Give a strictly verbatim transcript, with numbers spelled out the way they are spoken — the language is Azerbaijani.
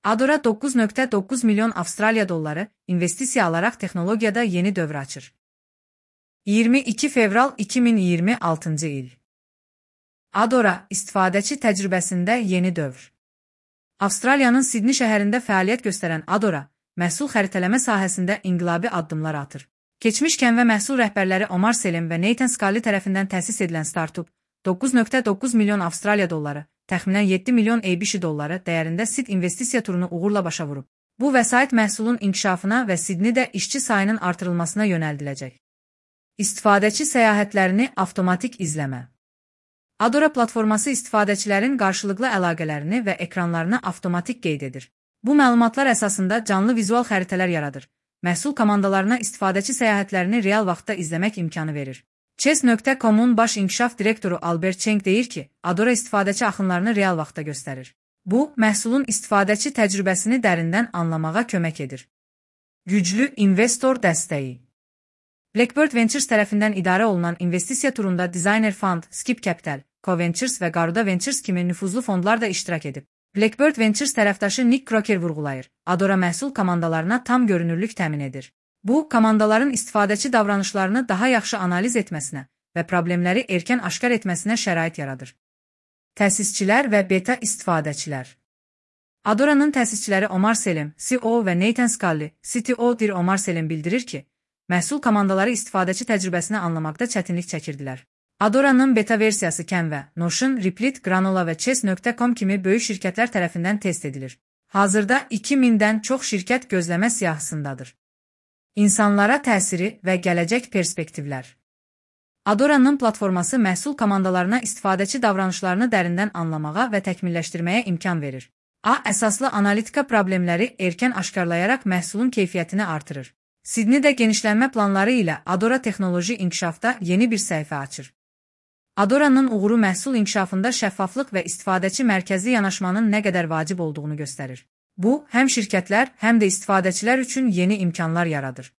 Adora doqquz nöqtə doqquz milyon Avstraliya dolları investisiya alaraq texnologiyada yeni dövr açır. iyirmi iki fevral iki min iyirmi altıncı il. Adora, istifadəçi təcrübəsində yeni dövr. Avstraliyanın Sidney şəhərində fəaliyyət göstərən Adora, məhsul xəritələmə sahəsində inqilabi addımlar atır. Keçmişkən və məhsul rəhbərləri Omar Selim və Nathan Scully tərəfindən təsis edilən startup, doqquz nöqtə doqquz milyon Avstraliya dolları, təxminən yeddi milyon A B S dolları dəyərində Sid investisiya turunu uğurla başa vurub. Bu vəsait məhsulun inkişafına və Sidneydə işçi sayının artırılmasına yönəldiləcək. İstifadəçi səyahətlərini avtomatik izləmə. Adora platforması istifadəçilərin qarşılıqlı əlaqələrini və ekranlarını avtomatik qeyd edir. Bu məlumatlar əsasında canlı vizual xəritələr yaradır. Məhsul komandalarına istifadəçi səyahətlərini real vaxtda izləmək imkanı verir. Chess nöqtə com-un baş inkişaf direktoru Albert Cheng deyir ki, Adora istifadəçi axınlarını real vaxtda göstərir. Bu, məhsulun istifadəçi təcrübəsini dərindən anlamağa kömək edir. Güclü investor dəstəyi. Blackbird Ventures tərəfindən idarə olunan investisiya turunda Designer Fund, Skip Capital, Co-Ventures və Garuda Ventures kimi nüfuzlu fondlar da iştirak edib. Blackbird Ventures tərəfdaşı Nick Crocker vurğulayır, Adora məhsul komandalarına tam görünürlük təmin edir. Bu, komandaların istifadəçi davranışlarını daha yaxşı analiz etməsinə və problemləri erkən aşkar etməsinə şərait yaradır. Təsisçilər və beta istifadəçilər. Adora'nın təsisçiləri Omar Selim, C E O və Nathan Scully, C T O dir Omar Selim bildirir ki, məhsul komandaları istifadəçi təcrübəsini anlamaqda çətinlik çəkirdilər. Adora'nın beta versiyası Canva, Notion, Replit, Granola və Chess nöqtə com kimi böyük şirkətlər tərəfindən test edilir. Hazırda iki mindən çox şirkət gözləmə siyahısındadır. İnsanlara təsiri və gələcək perspektivlər. Adora'nın platforması məhsul komandalarına istifadəçi davranışlarını dərindən anlamağa və təkmilləşdirməyə imkan verir. A əsaslı analitika problemləri erkən aşkarlayaraq məhsulun keyfiyyətini artırır. Sidneydə genişlənmə planları ilə Adora texnoloji inkişafda yeni bir səhifə açır. Adora'nın uğuru məhsul inkişafında şəffaflıq və istifadəçi mərkəzli yanaşmanın nə qədər vacib olduğunu göstərir. Bu, həm şirkətlər, həm də istifadəçilər üçün yeni imkanlar yaradır.